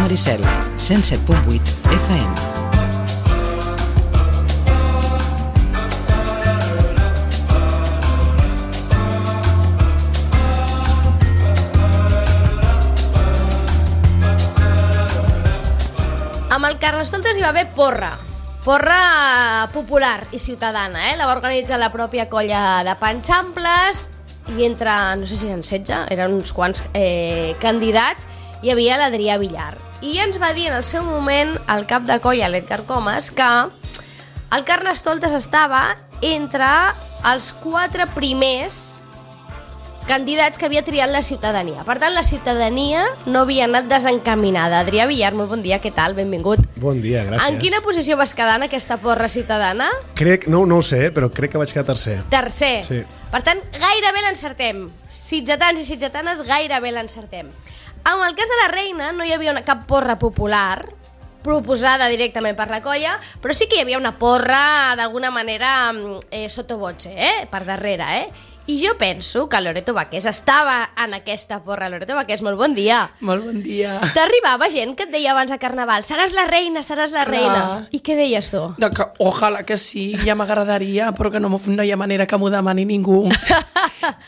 Maricel, 107.8 FM. Amb el Carnestoltes hi va haver porra popular i ciutadana, la va organitzar la pròpia colla de Panxamples i entre, no sé si eren 16, eren uns quants candidats, hi havia l'Adrià Villar. I ens va dir en el seu moment el cap de colla, l'Edgar Comas, que el Carnestoltes estava entre els 4 primers candidats que havia triat la ciutadania. Per tant, la ciutadania no havia anat desencaminada. Adrià Villar, molt bon dia, què tal? Benvingut. Bon dia, gràcies. En quina posició vas quedar en aquesta porra ciutadana? No ho sé, però crec que vaig quedar tercer. Tercer? Sí. Per tant, gairebé l'encertem. Sitgetans i sitgetanes, gairebé l'encertem. En el cas de la Reina no hi havia cap porra popular proposada directament per la colla, però sí que hi havia una porra d'alguna manera sottovoce, per darrere, I jo penso que Loreto Baqués estava en aquesta porra. Loreto Baqués, molt bon dia. Molt bon dia. T'arribava gent que et deia abans de Carnaval seràs la reina, seràs la reina. I què deies tu? Que, ojalà que sí, ja m'agradaria, però que no hi ha manera que m'ho demani ningú.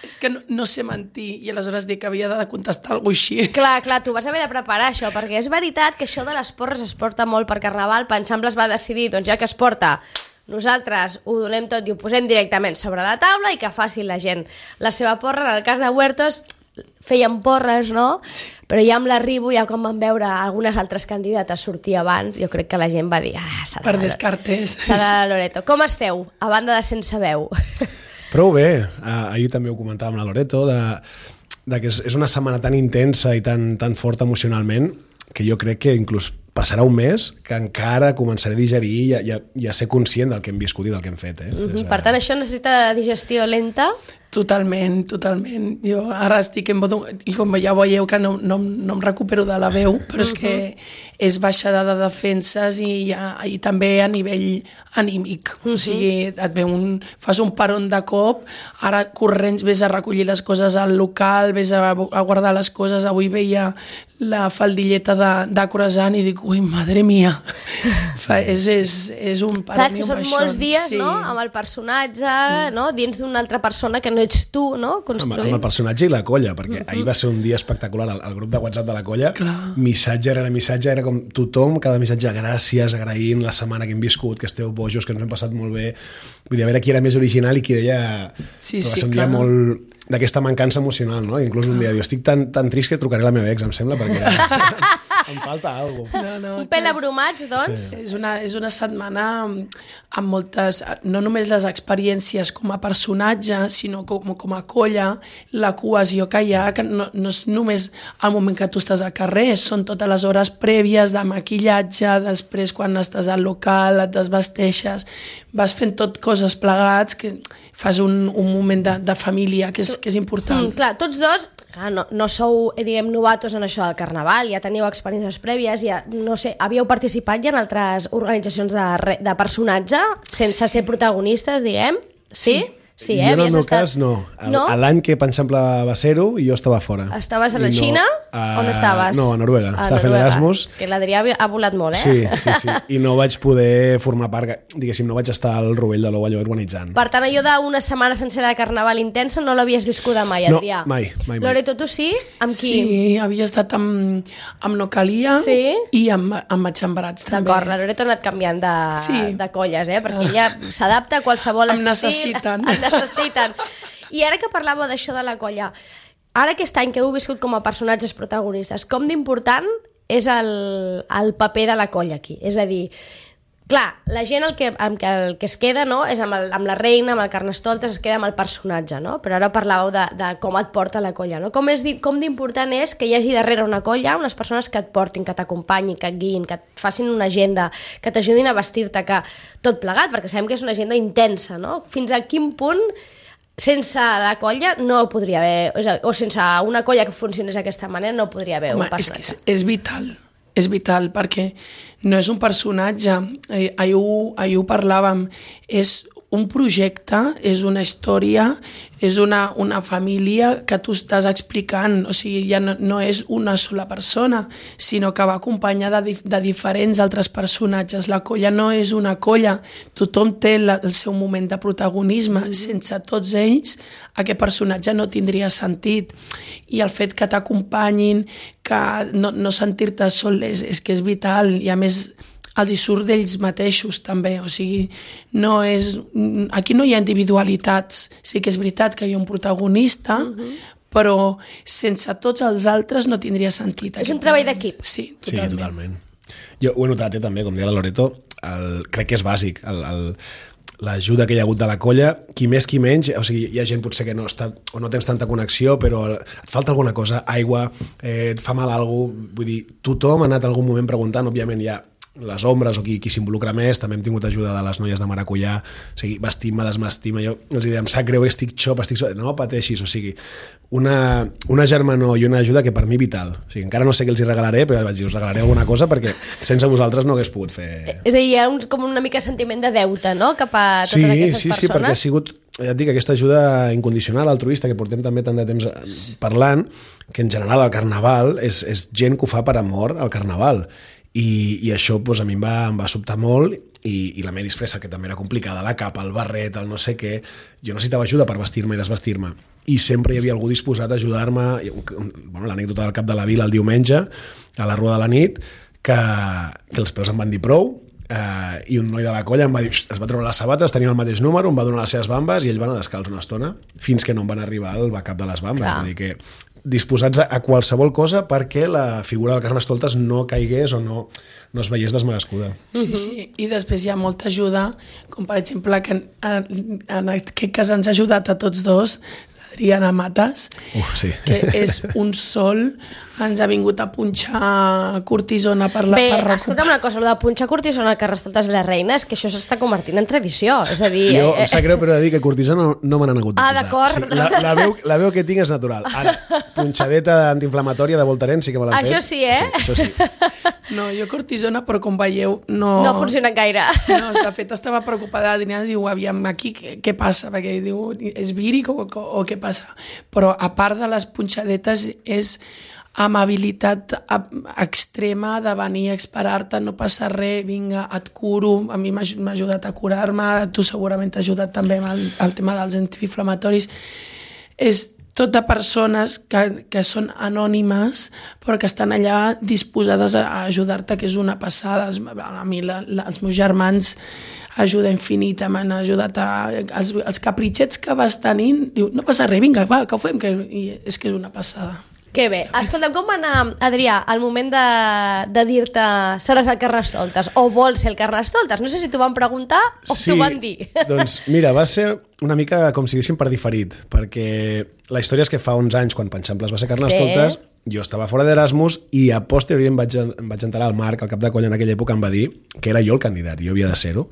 És que no sé mentir, i aleshores dic que havia de contestar alguna cosa així. Clar, tu vas haver de preparar això, perquè és veritat que això de les porres es porta molt per Carnaval. Panxamples va decidir, doncs ja que es porta, nosaltres ho donem tot i ho posem directament sobre la taula i que faci la gent la seva porra. En el cas de Huertos feien porres, no? Sí. Però ja amb l'arribo, ja quan van veure algunes altres candidates sortir abans, jo crec que la gent va dir serà per descartes. Serà la Loreto. Com esteu, a banda de sense veu? Prou bé. Ahir també ho comentàvem amb la Loreto, de que és una setmana tan intensa i tan forta emocionalment que jo crec que inclús passarà un mes que encara començaré a digerir i a ser conscient del que hem viscut i del que hem fet. Per tant, això necessita digestió lenta? Totalment. Jo ara estic en modo... I com ja veieu que no em recupero de la veu, però és que és baixada de defenses i també a nivell anímic. O sigui, fas un peron de cop, ara corrents ves a recollir les coses al local, ves a guardar les coses. Avui veia la faldilleta de croissant i dic, ui, madre mia. És un peron. Clar, és que són molts dies, no?, amb el personatge, no?, dins d'una altra persona que no ets tu, no?, construint. Amb el personatge i la colla, perquè ahir va ser un dia espectacular. El grup de WhatsApp de la colla, missatge rere missatge, era com tothom, cada missatge, gràcies, agraint la setmana que hem viscut, que esteu bojos, que ens hem passat molt bé. Vull dir, a veure qui era més original i qui deia... Sí, va ser un dia molt d'aquesta mancança emocional, no? Inclús un dia diu, estic tan trist que trucaré a la meva ex, em sembla, perquè... Em falta alguna cosa. Un pèl abrumats, doncs. Sí. És una setmana amb moltes... No només les experiències com a personatge, sinó com a colla, la cohesió que hi ha, que no és només el moment que tu estàs al carrer, són totes les hores prèvies de maquillatge, després quan estàs al local, et desvesteixes, vas fent tot coses plegats, que fas un moment de família que és important. Clar, tots dos... No sou, diguem, novatos en això del Carnaval, ja teníeu experiències prèvies, ja, no sé, havíeu participat ja en altres organitzacions de personatge, sense ser protagonistes, diguem? Sí? Sí, jo en el meu cas no. L'any que Panxample va ser-ho i jo estava fora. Estaves a la Xina? On estaves? No, a Noruega. Estava fent Erasmus. És que l'Adrià ha volat molt, Sí. I no vaig poder formar part, diguéssim, no vaig estar al rovell de l'ou allò organitzant. Per tant, allò d'una setmana sencera de Carnaval intensa no l'havies viscuda mai, Adrià? No, mai. Loreto, tu sí? Amb qui? Sí, havia estat amb Nocalia i amb Matxembrats, també. D'acord, la Loreto ha anat canviant de colles, perquè ella s'adapta a qualsevol estil. Em necessiten. I ara que parlàveu d'això de la colla, ara aquest any que heu viscut com a personatges protagonistes, com d'important és el paper de la colla aquí? És a dir, clar, la gent el que es queda, no, és amb la reina, amb el Carnestoltes, es queda amb el personatge, no? Però ara parlàveu de com et porta la colla, no? Com d'important és que hi hagi darrere una colla unes persones que et portin, que t'acompanyin, que et guiïn, que et facin una agenda, que t'ajudin a vestir-te, que tot plegat, perquè sabem que és una agenda intensa, no? Fins a quin punt sense la colla no podria haver, o sense una colla que funcionés d'aquesta manera no podria haver un personatge. És vital perquè no és un personatge, ahir ho parlàvem, és un projecte és una història, és una família que tu estàs explicant, o sigui, ja no és una sola persona, sinó que va acompanyada de diferents altres personatges. La colla no és una colla, tothom té el seu moment de protagonisme, sense tots ells aquest personatge no tindria sentit. I el fet que t'acompanyin, que no sentir-te sol és que és vital, i a més els hi surt d'ells mateixos també, o sigui, aquí no hi ha individualitats, sí que és veritat que hi ha un protagonista, però sense tots els altres no tindria sentit. És un treball d'equip. Sí, totalment. Sí, totalment. Jo ho he notat també, com deia la Loreto, crec que és bàsic, l'ajuda que hi ha hagut de la colla, qui més qui menys, o sigui, hi ha gent potser que no està o no tens tanta connexió, però et falta alguna cosa, aigua, et fa mal alguna cosa, vull dir, tothom ha anat en algun moment preguntant, òbviament hi ha les ombres o qui s'involucra més, també hem tingut ajuda de les noies de Maracullà, o sigui, vestim-me, desvestim-me, jo els dic, em sap greu, estic xop, no pateixis, o sigui, una germanor i una ajuda que per mi vital, o sigui, encara no sé què els hi regalaré, però vaig dir, us regalaré alguna cosa perquè sense vosaltres no hagués pogut fer... És a dir, hi ha com una mica sentiment de deute, no?, cap a totes aquestes persones. Sí, perquè ha sigut, ja et dic, aquesta ajuda incondicional, altruista, que portem també tant de temps parlant, que en general el Carnaval és gent que ho fa per amor al Carnaval. I això doncs, a mi em va sobtar molt i la meva disfressa, que també era complicada, la capa, el barret, el no sé què, jo necessitava ajuda per vestir-me i desvestir-me i sempre hi havia algú disposat a ajudar-me. L'anècdota del cap de la vila el diumenge a la rua de la nit, que els peus em van dir prou, i un noi de la colla em va dir, es va treure les sabates, tenia el mateix número, em va donar les seves bambes i ell va anar descalç una estona fins que no em van arribar al backup de les bambes. Vull dir que disposats a qualsevol cosa perquè la figura del Carnestoltes no caigués o no es veiés desmerescuda. Sí, i després hi ha molta ajuda, com per exemple que en aquest cas ens ha ajudat a tots dos, Adriana Matas, sí. Que és un sol, ens ha vingut a punxar cortisona per la... Bé, escolta'm una cosa, el de punxar cortisona al Carnestoltes i la Reina és que això s'està convertint en tradició, és a dir... Jo em sap greu, però he de dir que cortisona no me n'han hagut de posar. D'acord. Sí, la veu que tinc és natural. Ara, punxadeta antiinflamatòria de Voltaren sí que me l'han fet. Això sí, eh? Sí, això sí. No, jo cortisona, però com veieu, no funciona gaire. No, de fet estava preocupada, Adriana diu, aviam, aquí què passa? Perquè diu, és víric o què passa? Però a part de les punxadetes és amabilitat extrema de venir a esperar-te, no passa res, vinga, et curo, a mi m'ha ajudat a curar-me, tu segurament t'ha ajudat també amb el tema dels antiinflamatoris. És tot de persones que són anònimes però que estan allà disposades a ajudar-te, que és una passada. A mi els meus germans ajuda infinita, m'han ajudat els capritxets que vas tenint, diu, no passa res, vinga, va, que ho fem, i és que és una passada. Que bé. Escolta'm, com va anar, Adrià, al moment de dir-te seràs el Carnestoltes o vols ser el Carnestoltes? No sé si t'ho van preguntar o t'ho van dir. Doncs mira, va ser una mica com si diguéssim per diferit, perquè la història és que fa 11 anys, quan Panxamples va ser Carnestoltes, jo estava fora d'Erasmus i a posteriori em vaig enterar, el Marc, el cap de colla en aquella època, em va dir que era jo el candidat, jo havia de ser-ho.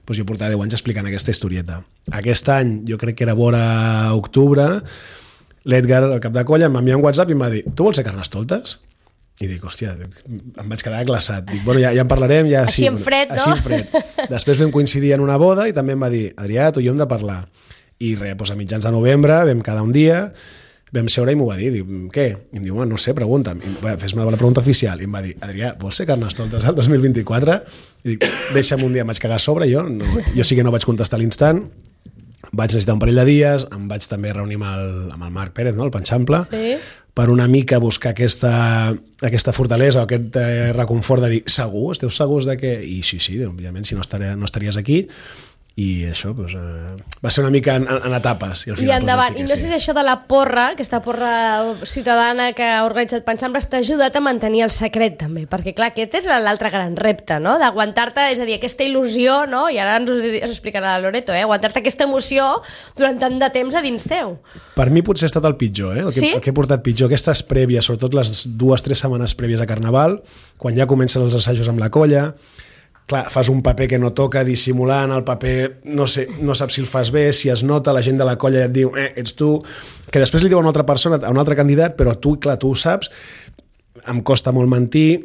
Doncs jo portava 10 anys explicant aquesta historieta. Aquest any, jo crec que era vora octubre, l'Edgar, el cap de colla, em va enviar un WhatsApp i em va dir, tu vols ser Carnestoltes? I dic, hòstia, em vaig quedar glaçat. Dic, bueno, ja en parlarem. Ja, així en fred, no? Així en fred. Després vam coincidir en una boda i també em va dir, Adrià, tu i jo hem de parlar. I res, doncs a mitjans de novembre vam quedar un dia, vam seure i m'ho va dir. Dic, què? I em diu, no sé, pregunta'm. Fes-me la pregunta oficial. I em va dir, Adrià, vols ser Carnestoltes el 2024? I dic, deixa'm un dia, em vaig cagar a sobre, jo sí que no vaig contestar a l'instant. Vaig necessitar un parell de dies, em vaig també reunir amb el Marc Pérez, no? El Panxample, per una mica buscar aquesta fortalesa o aquest reconfort de dir, segur? Esteu segurs de que... I sí, òbviament, si no estaries aquí. I això va ser una mica en etapes. I endavant. I no sé si això de la porra, aquesta porra ciutadana que ha organitzat Panxamples, t'ha ajudat a mantenir el secret també, perquè clar, aquest és l'altre gran repte, no? D'aguantar-te, és a dir, aquesta il·lusió, no? I ara ens ho explicarà la Loreto, aguantar-te aquesta emoció durant tant de temps a dins teu. Per mi potser ha estat el pitjor, el que he portat pitjor, aquestes prèvies, sobretot les 2-3 setmanes prèvies a Carnaval, quan ja comencen els assajos amb la colla. Clar, fas un paper que no toca, dissimulant, el paper no saps si el fas bé, si es nota, la gent de la colla et diu, ets tu, que després li diu a una altra persona, a un altre candidat, però tu, clar, tu ho saps, em costa molt mentir,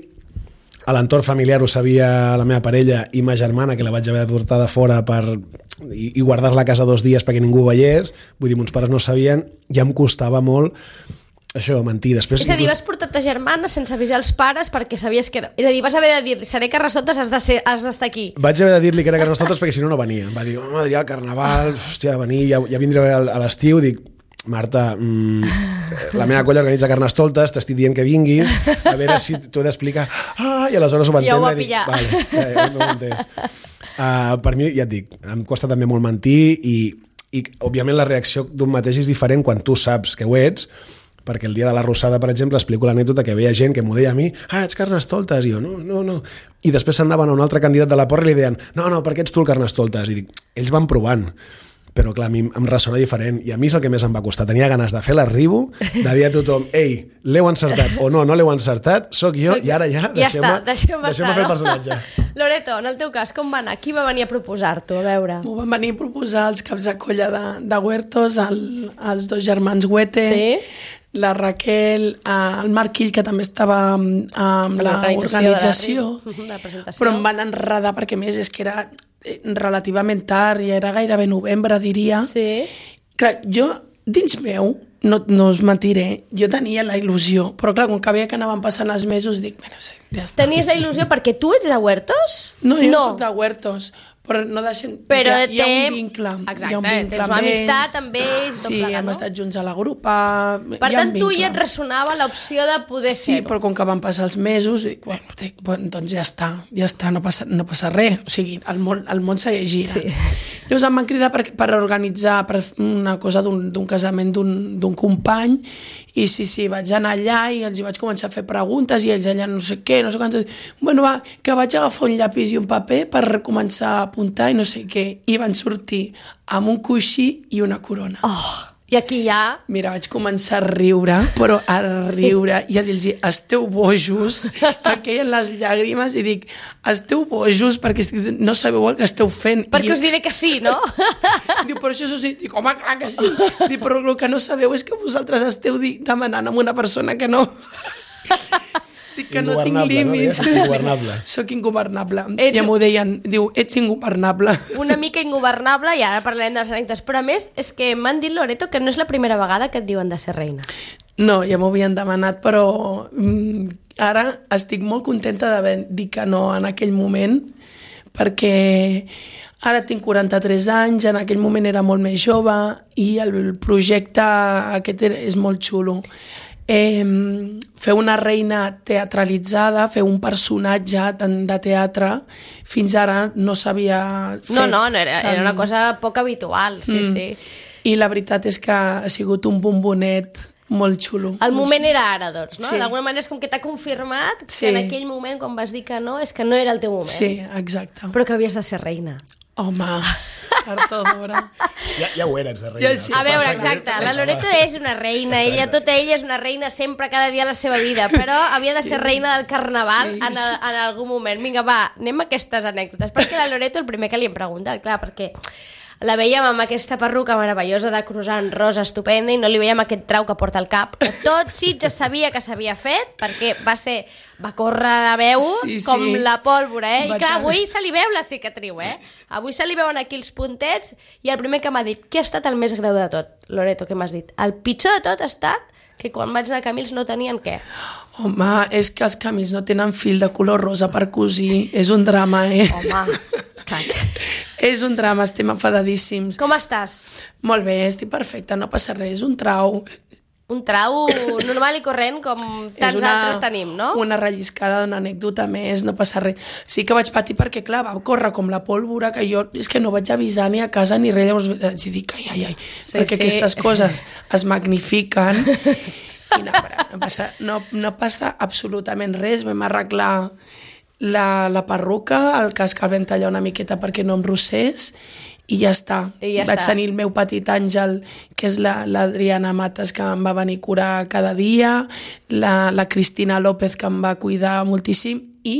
a l'entorn familiar ho sabia la meva parella i ma germana, que la vaig haver de portar de fora i guardar-la a casa 2 dies perquè ningú ho veiés. Vull dir, mons pares no sabien, ja em costava molt això, mentir. Després, és a dir, vas portar ta germana sense avisar els pares perquè sabies que era... És a dir, vas haver de dir-li, seré Carnestoltes, has d'estar aquí. Vaig haver de dir-li que era Carnestoltes perquè si no, no venia. Va dir, Adrià, el carnaval, hòstia, venir, ja vindré a l'estiu. Dic, Marta, la meva colla organitza Carnestoltes, t'estic dient que vinguis, a veure si t'ho he d'explicar. I aleshores ho va entendre. Ja ho va pillar. Vale, ja no ho he entès. Per mi, ja et dic, em costa també molt mentir i òbviament la reacció d'un mateix és diferent quan tu saps que ho ets, perquè el dia de la Rosada, per exemple, explico l'anècdota que veia gent que m'ho deia a mi, ets Carnestoltes, i jo, no. I després s'anaven a un altre candidat de la porra i li deien, no, per què ets tu el Carnestoltes? I dic, ells van provant, però clar, a mi em ressona diferent, i a mi és el que més em va costar. Tenia ganes de fer l'arribo, de dir a tothom, ei, l'heu encertat o no l'heu encertat, sóc jo, i ara ja deixeu-me fer el personatge. Loreto, en el teu cas, com va anar? Qui va venir a proposar-t'ho? A veure. M'ho van venir a proposar els caps de colla de Huertos, els 2 germans Huete, la Raquel, el Marc Quill, que també estava amb l'organització, però em van enredar perquè més és que era relativament tard, ja era gairebé novembre, diria. Sí. Clar, jo, dins meu, no us mentiré, jo tenia la il·lusió, però clar, com que veia que anaven passant els mesos, dic, bueno, sí, ja està. Tenies la il·lusió perquè tu ets de Huertos? No, jo no soc de Huertos, però no deixem... Però hi ha un vincle. Exacte, hi ha un vincle tens una amistat amb ells. Sí, hem estat junts a la grupa. Per tant, tu ja et ressonava l'opció de poder fer-ho. Sí, però com que van passar els mesos, dic, bueno, doncs ja està, no passa res. O sigui, el món segueix girant. Sí. Llavors em van cridar per organitzar una cosa d'un casament d'un company, i sí, vaig anar allà i els vaig començar a fer preguntes i ells allà no sé què, no sé quant. Bueno, va, que vaig agafar un llapis i un paper per començar a apuntar i no sé què. I van sortir amb un coixí i una corona. I aquí ja... Mira, vaig començar a riure, però a riure, i a dir-los, esteu bojos, em queien les llàgrimes, i dic, esteu bojos perquè no sabeu el que esteu fent. Perquè us diré que sí, no? Diu, però això sí. Dic, home, clar que sí. Dic, però el que no sabeu és que vosaltres esteu demanant a una persona que no... Dic que no tinc límits. No? Ingovernable. Soc ingovernable. Ja m'ho deien, diu, ets ingovernable. Una mica ingovernable, i ara parlarem de les anècdotes. Però a més, és que m'han dit, Loreto, que no és la primera vegada que et diuen de ser reina. No, ja m'ho havien demanat, però ara estic molt contenta d'haver dit que no en aquell moment, perquè ara tinc 43 anys, en aquell moment era molt més jove, i el projecte aquest és molt xulo. Fer una reina teatralitzada, fer un personatge de teatre, fins ara no s'havia fet. No, era una cosa poc habitual, sí. I la veritat és que ha sigut un bombonet molt xulo. El moment era ara, doncs, no? Sí. D'alguna manera és com que t'ha confirmat que en aquell moment, quan vas dir que no, és que no era el teu moment. Sí, exacte. Però que havies de ser reina. Home, per tota hora. Ja ho eres, de reina. Ja sí. A veure, exacte, la Loreto és una reina, tota ella és una reina sempre, cada dia de la seva vida, però havia de ser reina del carnaval en algun moment. Vinga, va, anem a aquestes anècdotes, perquè la Loreto el primer que li hem preguntat, clar, perquè la veiem amb aquesta perruca meravellosa de croissant rosa estupenda i no li veiem aquest trau que porta al cap, que tot Sitges sabia que s'havia fet, perquè va córrer de veu com la pólvora, I clar, avui se li veu la cicatriu, Avui se li veuen aquí els puntets, i el primer que m'ha dit, què ha estat el més greu de tot? Loreto, què m'has dit? El pitjor de tot ha estat que quan vaig anar a Camils no tenien què? Home, és que els Camils no tenen fil de color rosa per cosir, és un drama, Home, clar. És un drama, estem enfadadíssims. Com estàs? Molt bé, estic perfecta, no passa res, és un trau. Un trau normal i corrent com tants altres tenim, no? Una relliscada d'una anècdota més, no passa res. Sí que vaig patir perquè, clar, va córrer com la pólvora, que jo és que no vaig avisar ni a casa ni res, llavors vaig dir, ai, perquè aquestes coses es magnifiquen i no passa absolutament res. Vam arreglar la perruca, el cas que el vam tallar una miqueta perquè no em rossés, i ja està. Vaig tenir el meu petit àngel, que és l'Adriana Mates, que em va venir a curar cada dia, la Cristina López, que em va cuidar moltíssim, i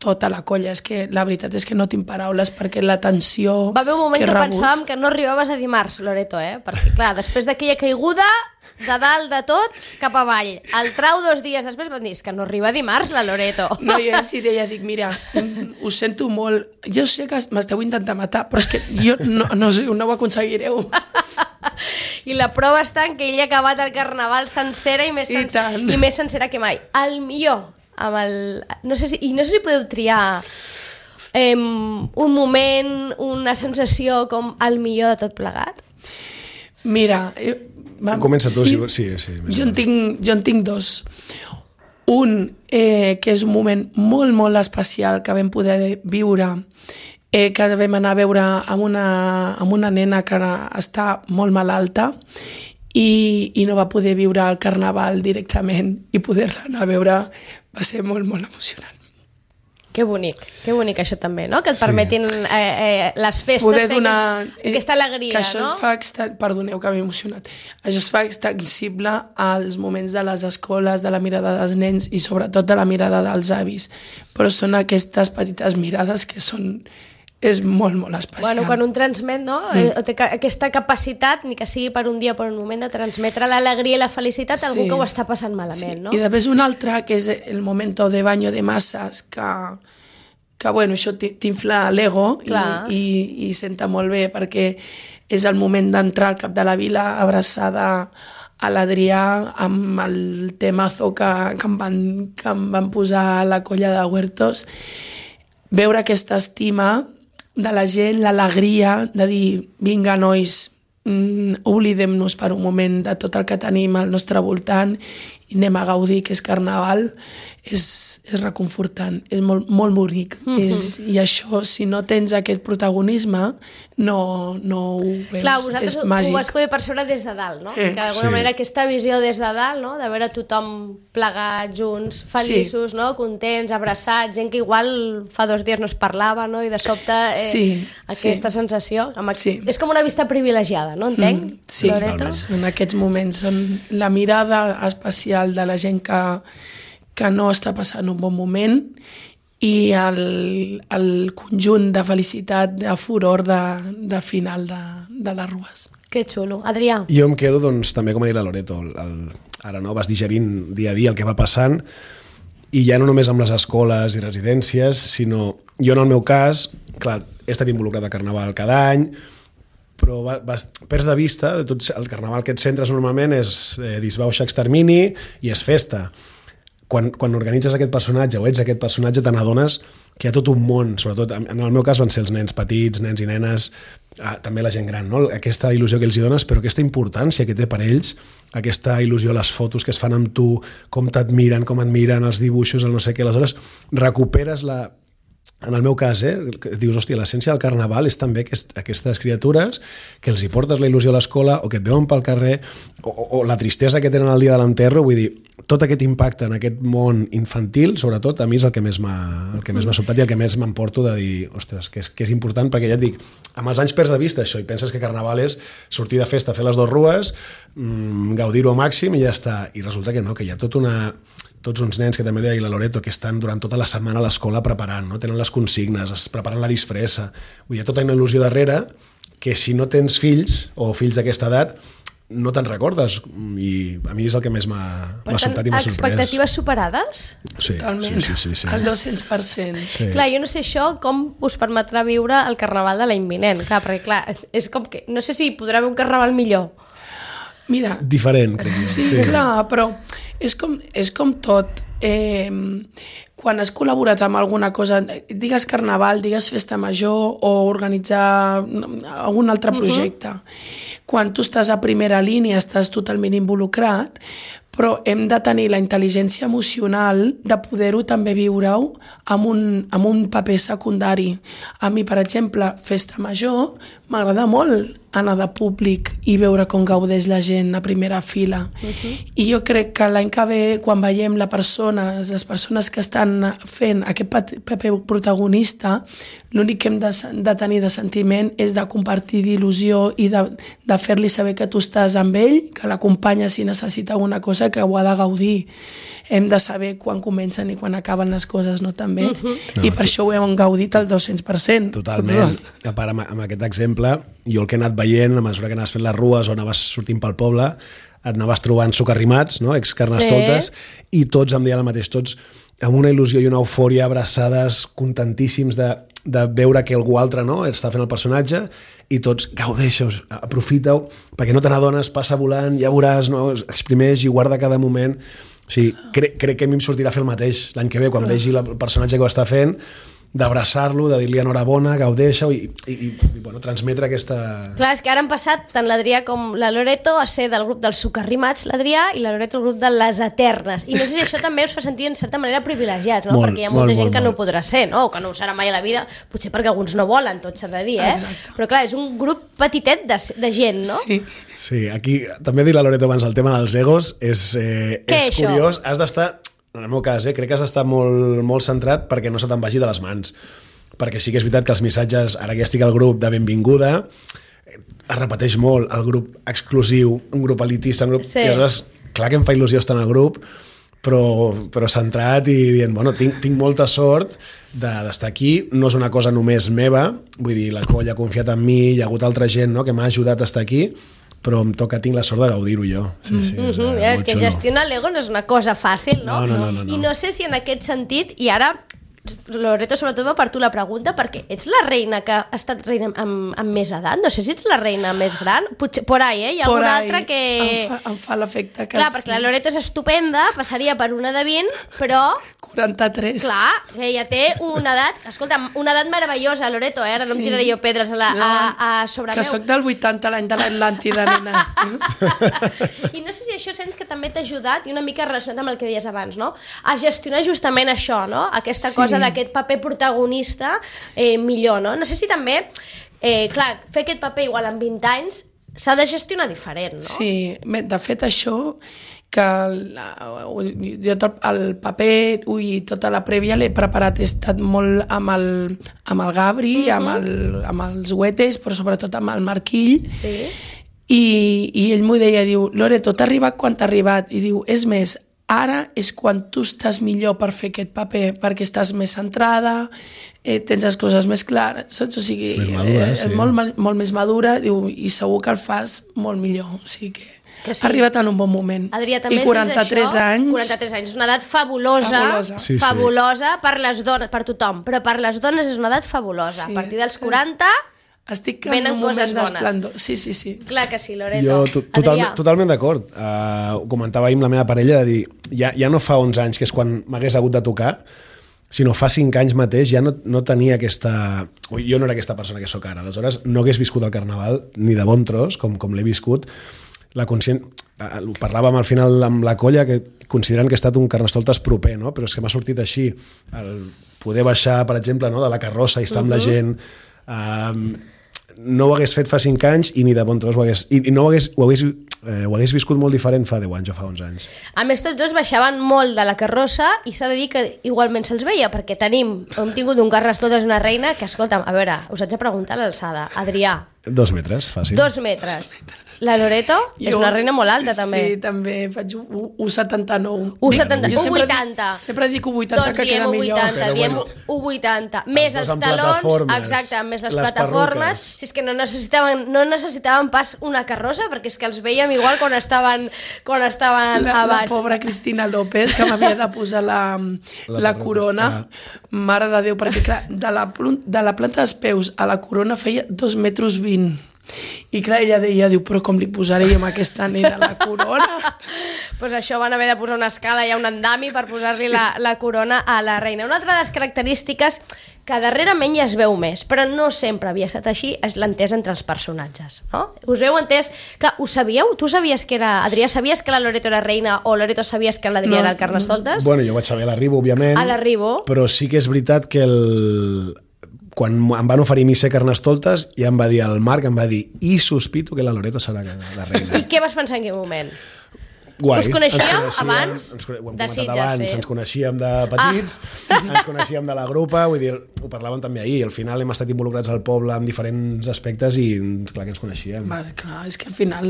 tota la colla. És que la veritat és que no tinc paraules perquè la tensió va haver un moment que pensàvem que no arribaves a dimarts, Loreto, perquè clar, després d'aquella caiguda de dalt de tot cap avall, el trau 2 dies després van dir que no arriba dimarts la Loreto. No, jo ells hi deia, dic, mira, ho sento molt, jo sé que m'esteu intentant matar, però és que jo no ho aconseguireu. I la prova està en que ell ha acabat el carnaval sencera i més sencera que mai. El millor, no sé si podeu triar un moment, una sensació com el millor de tot plegat. Mira, comença tu, sí. Jo en tinc 2. Un, que és un moment molt, molt especial que vam poder viure, que vam anar a veure amb una nena que està molt malalta i no va poder viure el carnaval directament, i poder-la anar a veure va ser molt, molt emocionant. Que bonic això també, no? Que et permetin les festes poder donar aquesta alegria, que això no? Es fa perdoneu que m'he emocionat. Això es fa extensible als moments de les escoles, de la mirada dels nens i sobretot de la mirada dels avis. Però són aquestes petites mirades que és molt, molt especial. Bueno, quan un transmet, no? Té aquesta capacitat, ni que sigui per un dia o per un moment, de transmetre l'alegria i la felicitat a algú que ho està passant malament, no? I després un altre, que és el momento de baño de masses, que bueno, això t'infla l'ego i senta molt bé, perquè és el moment d'entrar al cap de la vila abraçada a l'Adrià amb el temazo que em van posar a la colla de Huertos. Veure aquesta estima de la gent, l'alegria de dir, vinga nois, oblidem-nos per un moment de tot el que tenim al nostre voltant i anem a gaudir, que és carnaval, és reconfortant, és molt, molt bonic. I això, si no tens aquest protagonisme, no ho veus. Clar, vosaltres ho vas poder percebre des de dalt, no? Que d'alguna manera aquesta visió des de dalt, no? De veure tothom plegat, junts, feliços, no? Contents, abraçats, gent que igual fa 2 dies no es parlava, no? I de sobte aquesta sensació. És com una vista privilegiada, no? Entenc? Sí, en aquests moments són la mirada especial de la gent que no està passant un bon moment i el conjunt de felicitat, de furor de final de les rues. Que xulo. Adrià? Jo em quedo, doncs, també com ha dit la Loreto, ara no vas digerint dia a dia el que va passant, i ja no només amb les escoles i residències, sinó jo en el meu cas, clar, he estat involucrat a Carnaval cada any, però perds de vista de tot el carnaval que et centres normalment és disbauxa, extermini i és festa. Quan organitzes aquest personatge o ets aquest personatge te n'adones que hi ha tot un món, sobretot en el meu cas van ser els nens petits, nens i nenes, també la gent gran, no? Aquesta il·lusió que els hi dones, però aquesta importància que té per ells, aquesta il·lusió, les fotos que es fan amb tu, com t'admiren, com admiren els dibuixos, el no sé què, aleshores recuperes en el meu cas, dius, hòstia, l'essència del carnaval és també aquestes criatures que els hi portes la il·lusió a l'escola o que et veuen pel carrer o la tristesa que tenen el dia de l'enterro, vull dir, tot aquest impacte en aquest món infantil, sobretot, a mi és el que més m'ha sobtat i el que més m'emporto de dir, ostres, que és important, perquè ja et dic, amb els anys perds de vista això i penses que carnaval és sortir de festa, fer les 2 rues, gaudir-ho al màxim i ja està, i resulta que no, que hi ha tots uns nens que també deia la Loreto que estan durant tota la setmana a l'escola preparant, no? Tenen les consignes, preparant la disfressa, vull dir, hi ha tota una il·lusió darrere que si no tens fills o fills d'aquesta edat no te'n recordes, i a mi és el que més m'ha sobtat i m'ha sorprès. Expectatives superades? Sí, totalment. Sí. El 200%. Sí. Clar, jo no sé això com us permetrà viure el carnaval de l'any vinent, clar, perquè clar, és com que, no sé si podrà haver un carnaval millor. Mira, diferent, crec. Sí, clar, però és com tot. Quan has col·laborat amb alguna cosa, digues carnaval, digues festa major o organitzar algun altre projecte, quan tu estàs a primera línia estàs totalment involucrat, però hem de tenir la intel·ligència emocional de poder-ho també viure-ho amb un paper secundari. A mi, per exemple, festa major m'agrada molt anar de públic i veure com gaudeix la gent a primera fila. I jo crec que l'any que ve, quan veiem les persones que estan fent aquest paper protagonista, l'únic que hem de tenir de sentiment és de compartir d'il·lusió i de fer-li saber que tu estàs amb ell, que l'acompanya si necessita alguna cosa, que ho ha de gaudir. Hem de saber quan comencen i quan acaben les coses, no? També. I per això ho hem gaudit al 200%. Totalment. A part, amb aquest exemple, jo el que he anat veient, a mesura que anaves fent les rues o anaves sortint pel poble, et anaves trobant socarrimats, no? Ex-carnestoltes, i tots em deien el mateix, tots amb una il·lusió i una eufòria, abraçades, contentíssims de veure que algú altre, no? Està fent el personatge, i tots gaudeixeu, aprofita-ho, perquè no te n'adones, passa volant, ja veuràs, no? Exprimeix i guarda cada moment. O sigui, crec que a mi em sortirà a fer el mateix l'any que ve, quan vegi el personatge que ho està fent, d'abraçar-lo, de dir-li enhorabona, gaudeixa-ho i bueno, transmetre aquesta... Clar, és que ara han passat tant l'Adrià com la Loreto a ser del grup dels socarrimats, l'Adrià, i la Loreto el grup de les eternes. I no sé si això també us fa sentir en certa manera privilegiats, no? Perquè hi ha molta gent que no ho podrà ser, no? O que no ho serà mai a la vida, potser perquè alguns no volen, tot s'ha de dir, Exacte. Però clar, és un grup petitet de gent, no? Sí, aquí també he dit la Loreto abans, el tema dels egos és curiós, has d'estar... En el meu cas, crec que has d'estar molt, molt centrat perquè no se te'n vagi de les mans. Perquè sí que és veritat que els missatges, ara que ja estic al grup de benvinguda, es repeteix molt el grup exclusiu, un grup elitista, un grup... Sí. I aleshores, clar que em fa il·lusió estar en el grup, però centrat i dient, bueno, tinc molta sort d'estar aquí, no és una cosa només meva, vull dir, la colla ha confiat en mi, hi ha hagut altra gent, no?, que m'ha ajudat a estar aquí, però tinc la sort de gaudir-ho jo. És que gestionar l'ego no és una cosa fàcil, no? No. I no sé si en aquest sentit, i ara, Loreto, sobretot va per tu la pregunta, perquè ets la reina que ha estat reina amb més edat? No sé si ets la reina més gran, potser por ahí, hi ha alguna altra que... Em fa l'efecte que clar, perquè la Loreto és estupenda, passaria per una de 20, però... 43. Clar, ella té una edat, escolta, una edat meravellosa, Loreto, ara no em tiraré jo pedres a sobre que meu. soc del 80, l'any de l'Atlàntida, nena. I no sé si això sents que també t'ha ajudat, i una mica relacionat amb el que deies abans, no? A gestionar justament això, no? Aquesta cosa d'aquest paper protagonista millor, no? No sé si també, clar, fer aquest paper igual amb 20 anys s'ha de gestionar diferent, no? Sí, de fet això que jo el paper i tota la prèvia l'he preparat, he estat molt amb el Gabri, amb els Huetes, però sobretot amb el Marquill, i ell m'ho deia, diu, Loreto, t'ha arribat quan t'ha arribat? I diu, és més, ara és quan tu estàs millor per fer aquest paper, perquè estàs més centrada, tens les coses més clares, saps? O sigui, és més madura, molt més madura, diu, i segur que el fas molt millor, o sigui que ha arribat en un bon moment. Adrià, també i 43 anys. 43 anys, és una edat fabulosa. Fabulosa per les dones, per tothom, però per les dones és una edat fabulosa. A partir dels 40 estic en un moment d'esplendor. Sí. Clar que sí, Loreto. Jo totalment d'acord. Ho comentava ahir amb la meva parella, de dir, ja no fa 11 anys, que és quan m'hagués hagut de tocar, sinó fa 5 anys mateix ja no tenia aquesta... Jo no era aquesta persona que sóc ara. Aleshores, no hagués viscut el Carnaval ni de bon tros, com l'he viscut. La parlàvem al final amb la colla, que considerant que ha estat un Carnestoltes proper, no? Però és que m'ha sortit així. El poder baixar, per exemple, no? De la carrossa i estar amb la gent... no ho hagués fet fa 5 anys i ni de bon tros ho hagués viscut molt diferent fa 10 anys o fa 11 anys. A més, tots dos baixaven molt de la carrossa i s'ha de dir que igualment se'ls veia, perquè hem tingut un Carnestoltes una reina que, escolta'm, a veure, us haig de preguntar l'alçada. Adrià. 2 metres, fàcil. 2 metres. La Loreto és una reina molt alta, també. Sí, també faig 1,79. 1,80. Sempre dic 1,80, que queda millor. Diem 1,80. Més els talons, exacte, més les plataformes. Si és que no necessitaven pas una carrossa, perquè és que els veiem igual quan estaven a baix. La pobra Cristina López, que m'havia de posar la corona. Mare de Déu, perquè clar, de la planta dels peus a la corona feia 2,20 metres. I clar, ella diu, però com li posaré amb aquesta nena la corona? Pues això van haver de posar una escala i un andami per posar-li la corona a la reina. Una altra de les característiques que darrerament ja es veu més, però no sempre havia estat així, és l'entès entre els personatges, no? Us veu entès? Clar, ho sabíeu? Tu sabies que era... Adrià, sabies que la Loreto era reina o Loreto sabies que l'Adrià era el Carnestoltes? Bueno, jo vaig saber a l'arribo, òbviament. A l'arribo. Però sí que és veritat que quan em van oferir mi ser Carnestoltes, ja em va dir el Marc, em va dir, i sospito que la Loreto serà la reina. I què vas pensar en aquell moment? Guai. Us coneixíeu abans? Ho hem comentat abans, ens coneixíem de petits, ens coneixíem de la grupa, vull dir, ho parlàvem també ahir, al final hem estat involucrats al poble en diferents aspectes i clar que ens coneixíem. Clar, és que al final...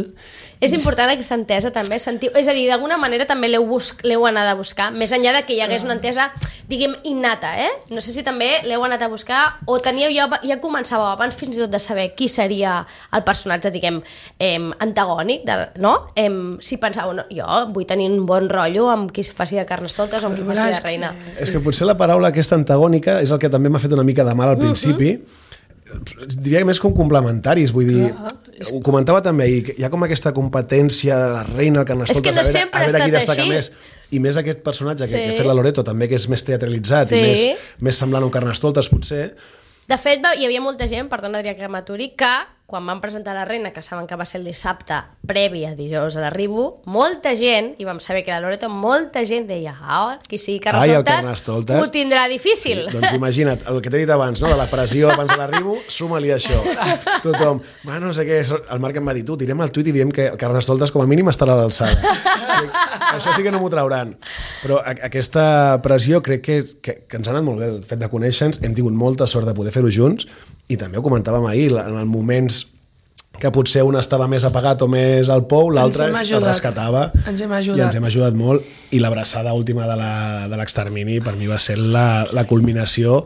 És important aquesta entesa també, sentiu, és a dir, d'alguna manera també l'heu anat a buscar, més enllà de que hi hagués una entesa, diguem, innata, No sé si també l'heu anat a buscar o teníeu ja començàveu abans fins i tot de saber qui seria el personatge, diguem, antagònic, no? Si pensàveu, no, jo vull tenir un bon rotllo amb qui faci de Carnestoltes o amb qui faci de reina. És que potser la paraula aquesta antagònica és el que també m'ha fet una mica de mal al principi, diria que més com complementaris, vull dir, ho comentava també ahir, hi ha com aquesta competència de la reina, el Carnestoltes, a veure qui destaca més, i més aquest personatge que ha fet la Loreto també, que és més teatralitzat i més semblant a un Carnestoltes potser. De fet, hi havia molta gent, perdona Adrià que m'aturi, que quan van presentar la reina, que saben que va ser el dissabte previ a dijous a l'arribo, molta gent, i vam saber que la Loreto, molta gent deia, qui sigui Carnestoltes ho tindrà difícil. Sí, doncs imagina't, el que t'he dit abans, no? De la pressió abans de l'arribo, suma-li això. Tothom, no sé què, el Marc em va dir, tu, tirem el tuit i diem que el Carnestoltes com a mínim estarà a l'alçada. Això sí que no m'ho trauran. Però aquesta pressió crec que ens ha anat molt bé, el fet de conèixer-nos, hem tingut molta sort de poder fer-ho junts, i també ho comentàvem ahir, en els moments que potser un estava més apagat o més al pou, l'altre es rescatava. Ens hem ajudat. I ens hem ajudat molt. I l'abraçada última de l'extermini per mi va ser la culminació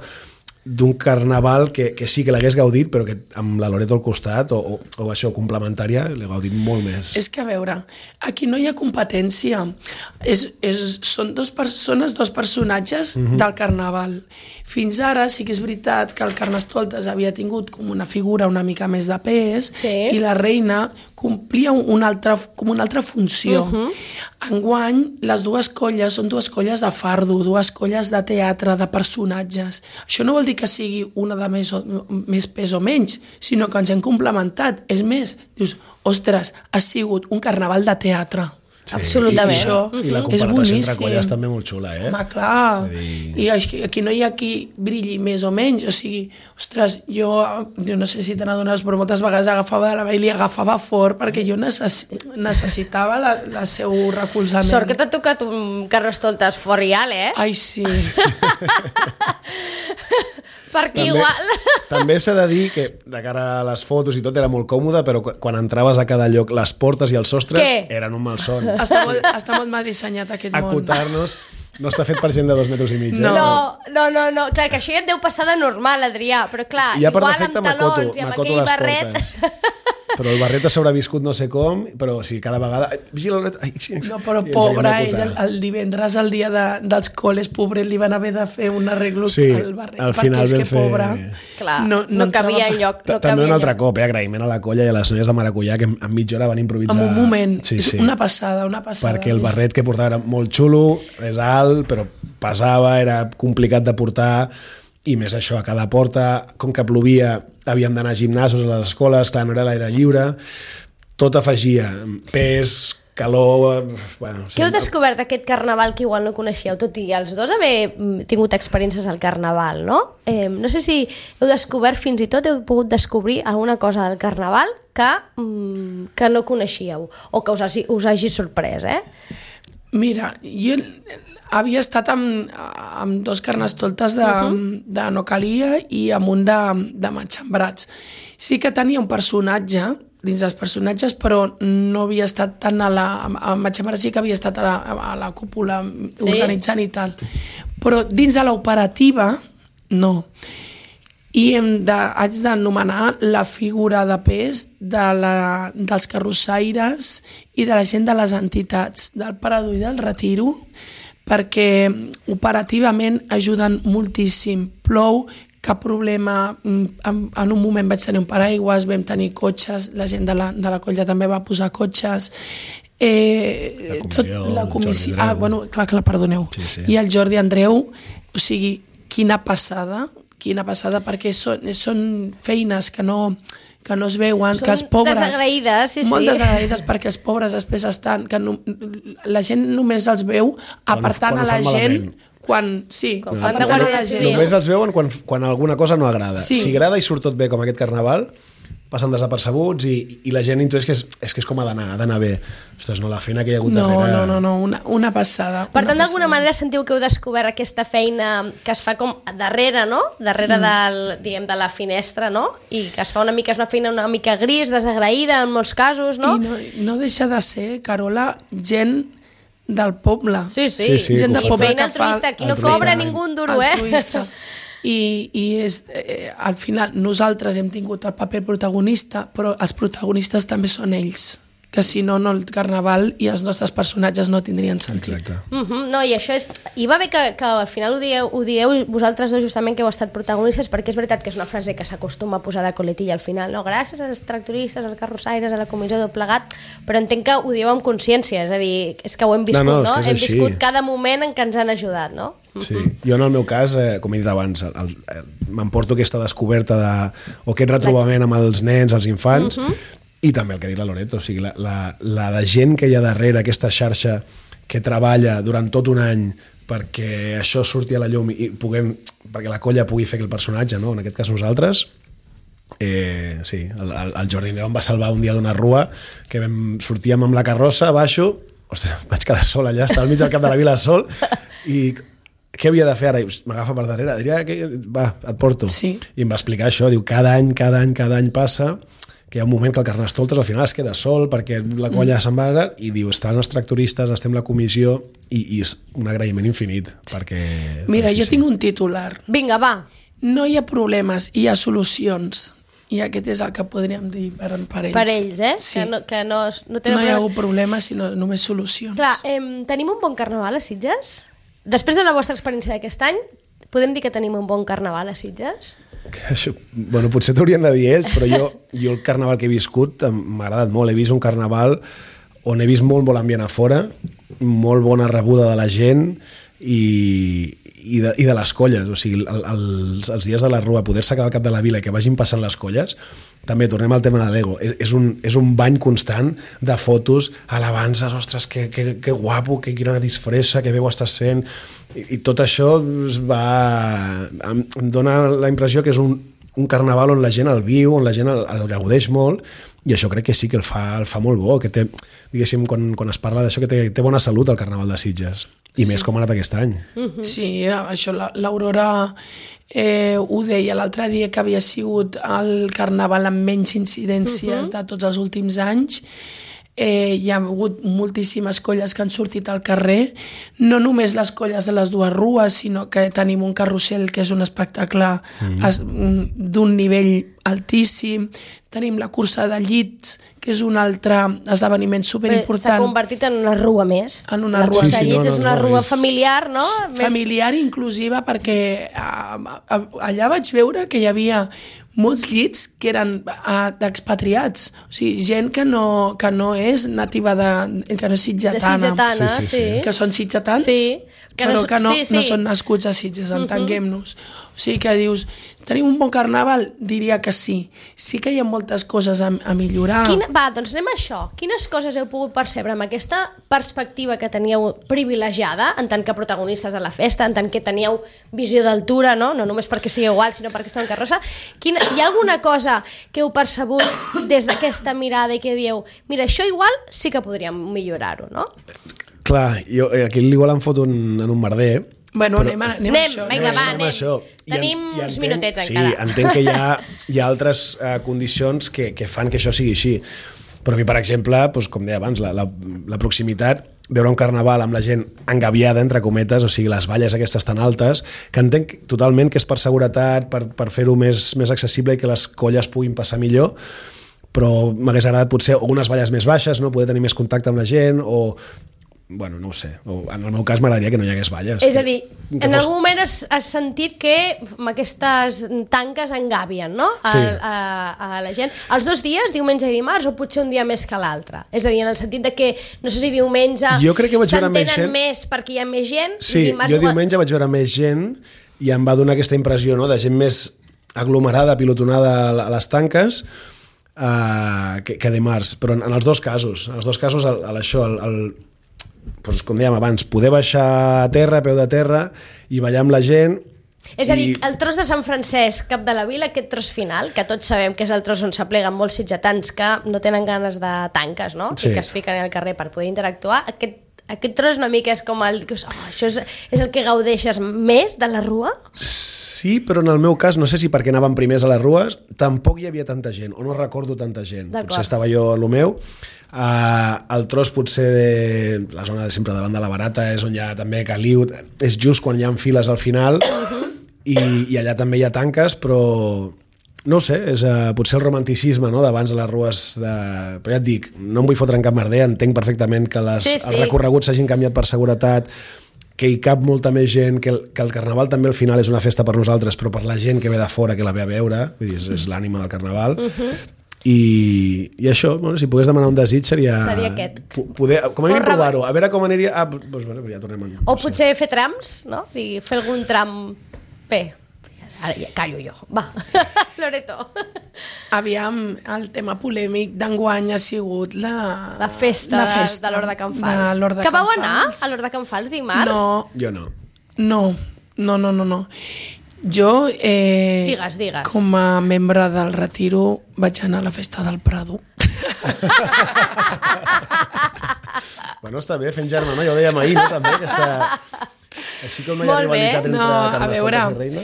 d'un carnaval que sí que l'hagués gaudit, però que amb la Loreto al costat o això, complementària, l'he gaudit molt més. És que a veure, aquí no hi ha competència. Són dos personatges del carnaval. Fins ara sí que és veritat que el Carnestoltes havia tingut com una figura una mica més de pes i la reina complia una altra funció. Enguany, les dues colles són dues colles de fardo, dues colles de teatre, de personatges. Això no vol dir que sigui una de més pes o menys, sinó que ens hem complementat. És més, dius, ostres, ha sigut un carnaval de teatre. Sí, absolutament. I la comparació entre colles també molt xula, Home, clar. I aquí no hi ha qui brilli més o menys. O sigui, ostres, jo no sé si te n'adones, però moltes vegades agafava de la mà i li agafava fort perquè jo necessitava el seu recolzament. Sort que t'ha tocat un Carnestoltes fort real, Ai, sí. Perquè igual... També s'ha de dir que de cara a les fotos i tot era molt còmode, però quan entraves a cada lloc, les portes i els sostres eren un malson. Està molt mal dissenyat aquest món. Acotar-nos no està fet per gent de 2,5 metres. No. Clar, que això ja et deu passar de normal, Adrià, però clar, igual amb talons i amb aquell barret... Però el barret s'haurà viscut no sé com, però sí, cada vegada... No, però pobre, ell el divendres, el dia dels col·les, pobret, li van haver de fer un arreglo al barret, al final perquè és que pobre... Clar, no cabia enlloc. També un altre cop, agraïment a la colla i a les noies de Maracuyà, que en mitja hora van improvisar... En un moment, una passada. Perquè el barret que portava era molt xulo, és alt, però pesava, era complicat de portar... I més això, a cada porta, com que plovia, havíem d'anar a gimnasos a les escoles, clar, no era l'aire lliure, tot afegia, pes, calor... Bueno, Què heu descobert d'aquest carnaval que igual no coneixeu, tot i els dos haver tingut experiències al carnaval, no? No sé si heu descobert, fins i tot heu pogut descobrir alguna cosa del carnaval que no coneixíeu, o que us hagi sorprès, Mira, jo... havia estat amb dos Carnestoltes de No Calia i amb un de Matxembrats. Sí que tenia un personatge dins dels personatges, però no havia estat tant a Matxembrats, sí que havia estat a la cúpula organitzant i tal. Però dins de l'operativa, no. I haig d'anomenar la figura de pes dels carrossaires i de la gent de les entitats del Parador i del Retiro, perquè operativament ajuden moltíssim. Plou, cap problema, en un moment vaig tenir un paraigües, vam tenir cotxes, la gent de la colla també va posar cotxes, la comissió, clar, perdoneu. Sí. I el Jordi Andreu, o sigui, quina passada, perquè són feines que no es veuen, que els pobres... Desagraïdes, molt desagraïdes, perquè els pobres després estan... que la gent només els veu apartant a la gent Sí, quan fan de guàrdia civil. Només els veuen quan alguna cosa no agrada. Si agrada i surt tot bé com aquest carnaval, passen desapercebuts i la gent intueix que és com ha d'anar bé. Ostres, no, la feina que hi ha hagut darrere... No, una passada. Per tant, d'alguna manera sentiu que heu descobert aquesta feina que es fa com darrere, no? Darrere de la finestra, no? I que es fa és una feina una mica gris, desagraïda en molts casos, no? I no deixa de ser, Carola, gent del poble. Sí. Gent del poble feina altruista, aquí no cobra ningú un duro, altruista. I al final nosaltres hem tingut el paper protagonista, però els protagonistes també són ells, que si no, el carnaval i els nostres personatges no tindrien sentit. Exacte. No, i això és... I va bé que al final ho dieu vosaltres dos justament que heu estat protagonistes, perquè és veritat que és una frase que s'acostuma a posar de coletilla al final, no? Gràcies als tractoristes, als carrossaires, a la comissió del plegat, però entenc que ho dieu amb consciència, és a dir, és que ho hem viscut, no? Hem viscut cada moment en què ens han ajudat, no? Sí, jo en el meu cas, com he dit abans, m'emporto aquesta descoberta o aquest retrobament amb els nens, els infants, i també el que ha dit la Loreto, o sigui, la de gent que hi ha darrere, aquesta xarxa que treballa durant tot un any perquè això surti a la llum i perquè la colla pugui fer aquell personatge, no? En aquest cas nosaltres, sí, el Jordi Andreu em va salvar un dia d'una rua que sortíem amb la carrossa, baixo, ostres, vaig quedar sol allà, estava al mig del cap de la vila sol, i què havia de fer ara? M'agafa per darrere, diria, va, et porto. Sí. I em va explicar això, diu, cada any passa que hi ha un moment que el Carnestoltes al final es queda sol perquè la colla se'n va i diu, estan els tractoristes, estem la comissió i és un agraïment infinit perquè... Mira, jo tinc un titular. Vinga, va. No hi ha problemes, hi ha solucions. I aquest és el que podríem dir per ells. Per ells, Sí. Que no hi ha hagut problemes, sinó només solucions. Clar, tenim un bon carnaval a Sitges? Després de la vostra experiència d'aquest any, podem dir que tenim un bon carnaval a Sitges? Això, bueno, potser t'haurien de dir ells, però jo el carnaval que he viscut m'ha agradat molt. He vist un carnaval on he vist molt ambient a fora, molt bona rebuda de la gent i de les colles, o sigui, els dies de la rua, poder-se quedar al cap de la vila i que vagin passant les colles, també tornem al tema de l'ego, és un bany constant de fotos, alabances, ostres, que guapo, que quina disfressa, que bé ho estàs fent, i tot això em dona la impressió que és un carnaval on la gent el viu, on la gent el gaudeix molt, i això crec que sí que el fa molt bo, que té, diguéssim, quan es parla d'això, que té bona salut el Carnaval de Sitges, i més com ha anat aquest any. Sí, això l'Aurora ho deia l'altre dia, que havia sigut el Carnaval amb menys incidències de tots els últims anys. Hi ha hagut moltíssimes colles que han sortit al carrer, no només les colles de les dues rues, sinó que tenim un carrusel que és un espectacle d'un nivell altíssim, tenim la cursa de llits, que és un altre esdeveniment superimportant. S'ha convertit en una rua més. En una rua. Cursa de llits és una rua familiar, no? Familiar i inclusiva, perquè allà vaig veure que hi havia molts llits que eren d'expatriats, o sigui, gent que no és nativa que no és sitgetana. De sitgetana, sí. Que són sitgetans, però que no són nascuts a Sitges, entenguem-nos. O sigui que dius, tenim un bon carnaval? Diria que sí. Sí que hi ha moltes coses a millorar. Doncs anem a això. Quines coses heu pogut percebre amb aquesta perspectiva que teníeu privilegiada, en tant que protagonistes de la festa, en tant que teníeu visió d'altura, no només perquè sigueu igual, sinó perquè esteu en carrossa? Hi ha alguna cosa que heu percebut des d'aquesta mirada i que dieu, mira, això igual sí que podríem millorar-ho, no? Clar, jo aquí igual em foto en un merder. Bueno, anem a això. Vinga, anem. Tenim uns minutets encara. Sí, entenc que hi ha altres condicions que fan que això sigui així. Però a mi, per exemple, doncs, com deia abans, la proximitat, veure un carnaval amb la gent engaviada, entre cometes, o sigui, les valles aquestes tan altes, que entenc totalment que és per seguretat, per fer-ho més accessible i que les colles puguin passar millor, però m'hagués agradat potser unes valles més baixes, no? Poder tenir més contacte amb la gent, o... Bueno, no ho sé. En el meu cas m'agradaria que no hi hagués valles. És a dir, en algun moment has sentit que aquestes tanques engavien, no? A la gent. Els 2 dies, diumenge i dimarts, o potser un dia més que l'altre? És a dir, en el sentit de que, no sé si diumenge s'entenen més perquè hi ha més gent, sí, i dimarts... Jo diumenge vaig veure més gent i em va donar aquesta impressió, no?, de gent més aglomerada, pilotonada a les tanques, que dimarts. Però en els dos casos, això, doncs, com dèiem abans, poder baixar a terra, a peu de terra, i ballar amb la gent. És a dir, el tros de Sant Francesc, cap de la vila, aquest tros final, que tots sabem que és el tros on s'apleguen molts sitgetans que no tenen ganes de tanques, no? Sí. I que es fiquen al carrer per poder interactuar, aquest tros una mica és com el... això és el que gaudeixes més de la rua? Sí, però en el meu cas, no sé si perquè anaven primers a les rues, tampoc hi havia tanta gent, o no recordo tanta gent. Potser estava jo a lo meu. El tros potser de la zona de sempre davant de la Barata és on hi ha també Caliu, és just quan hi ha files al final, i allà també hi ha tanques, però no ho sé, és potser el romanticisme, no?, d'abans de les rues però ja et dic, no em vull fotre en cap merder, entenc perfectament que els recorreguts s'hagin canviat per seguretat, que hi cap molta més gent, que el Carnaval també al final és una festa per nosaltres, però per la gent que ve de fora, que la ve a veure, vull dir, és l'ànima del Carnaval. I això, bueno, si pogués demanar un desig seria aquest. Poder, com a mínim provar-ho, a veure com aniria... Doncs bueno, ja tornem o potser fer trams, no? Fer algun tram... Bé, ara ja callo jo. Va, Loreto. Aviam, el tema polèmic d'enguany ha sigut la festa de l'Hort de Can Fals. Que vau anar a l'Hort de Can Fals dimarts? No. Jo no. No. Jo, digues. Com a membre del Retiro, vaig anar a la festa del Prado. Bueno, està bé, fent germà, no? Ja ho dèiem ahir, no? També, aquesta... Així com no hi ha rivalitat entre Carnestoltes i Reina.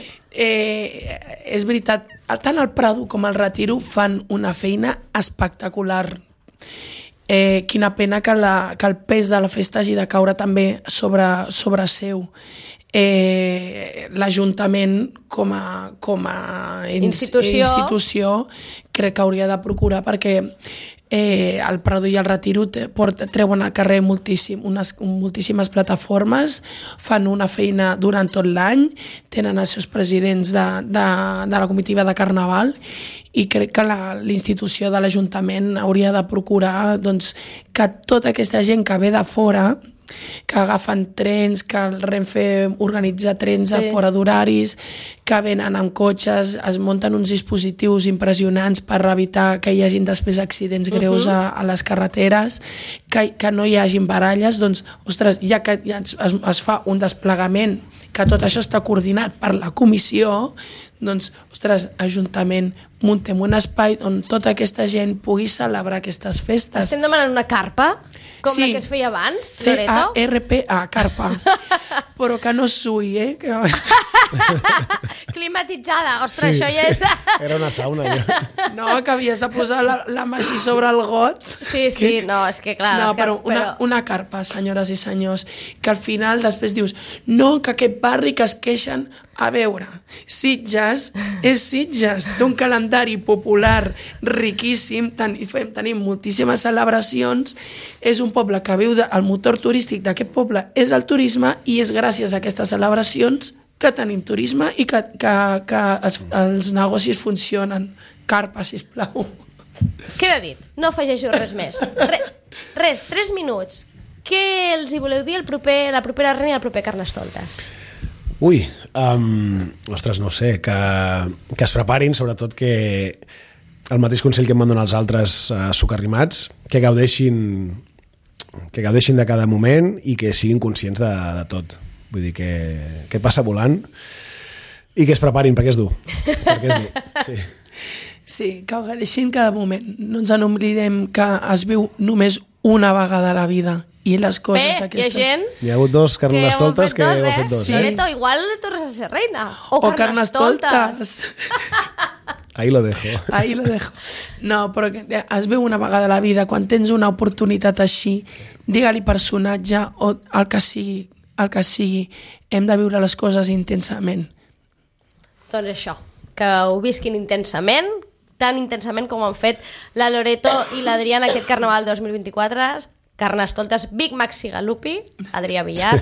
És veritat, tant el Prado com el Retiro fan una feina espectacular. Quina pena que el pes de la festa hagi de caure també sobre seu. L'Ajuntament com a institució crec que hauria de procurar, perquè el Prado i el Retiro treuen al carrer moltíssimes plataformes, fan una feina durant tot l'any, tenen els seus presidents de la comitiva de Carnaval, i crec que l'institució de l'Ajuntament hauria de procurar que tota aquesta gent que ve de fora, que agafen trens, que el Renfe organitza trens a fora d'horaris, que venen amb cotxes, es munten uns dispositius impressionants per evitar que hi hagin després accidents greus a les carreteres, que no hi hagin baralles, doncs, ostres, ja que es fa un desplegament, que tot això està coordinat per la comissió, doncs, ostres, Ajuntament, muntem un espai on tota aquesta gent pugui celebrar aquestes festes. Estem demanant una carpa, com la que es feia abans, Loreto? C-A-R-P-A, carpa. Però que no sui, Climatitzada, ostres, això ja és... Era una sauna, ja. No, que havies de posar la mà així sobre el got. Sí, no, és que clar... No, però una carpa, senyores i senyors, que al final després dius, no, que aquest barri que es queixen... A veure, Sitges és Sitges, té un calendari popular riquíssim, tenim moltíssimes celebracions, és un poble que viu, el motor turístic d'aquest poble és el turisme, i és gràcies a aquestes celebracions que tenim turisme i que els negocis funcionen. Carpa, sisplau. Queda dit, no afegeixo res més. Res, 3 minuts. Què els hi voleu dir la propera reina i el proper Carnestoltes? Ui, ostres, no ho sé, que es preparin, sobretot que el mateix consell que em van donar els altres socarrimats, que gaudeixin de cada moment i que siguin conscients de tot. Vull dir que passa volant i que es preparin, perquè és dur. Sí, que gaudeixin cada moment. No ens n'oblidem que es viu només una vegada a la vida. I les coses aquestes... Hi ha hagut 2 Carnestoltes que heu fet 2. Sí. Loreto, igual tornes a ser reina. O Carnestoltes. Ahí lo dejo. No, però es veu una vegada a la vida. Quan tens una oportunitat així, digue-li personatge o el que sigui, hem de viure les coses intensament. Doncs això, que ho visquin intensament, tan intensament com han fet la Loreto i l'Adrià en aquest Carnaval 2024. Carnestoltes, Big Maxi Galupi, Adrià Villar,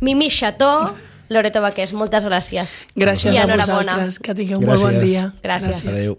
Mimi Chateau, Loreto Baqués, moltes gràcies. Gràcies a vosaltres, que tingueu un molt bon dia. Gràcies. Adéu.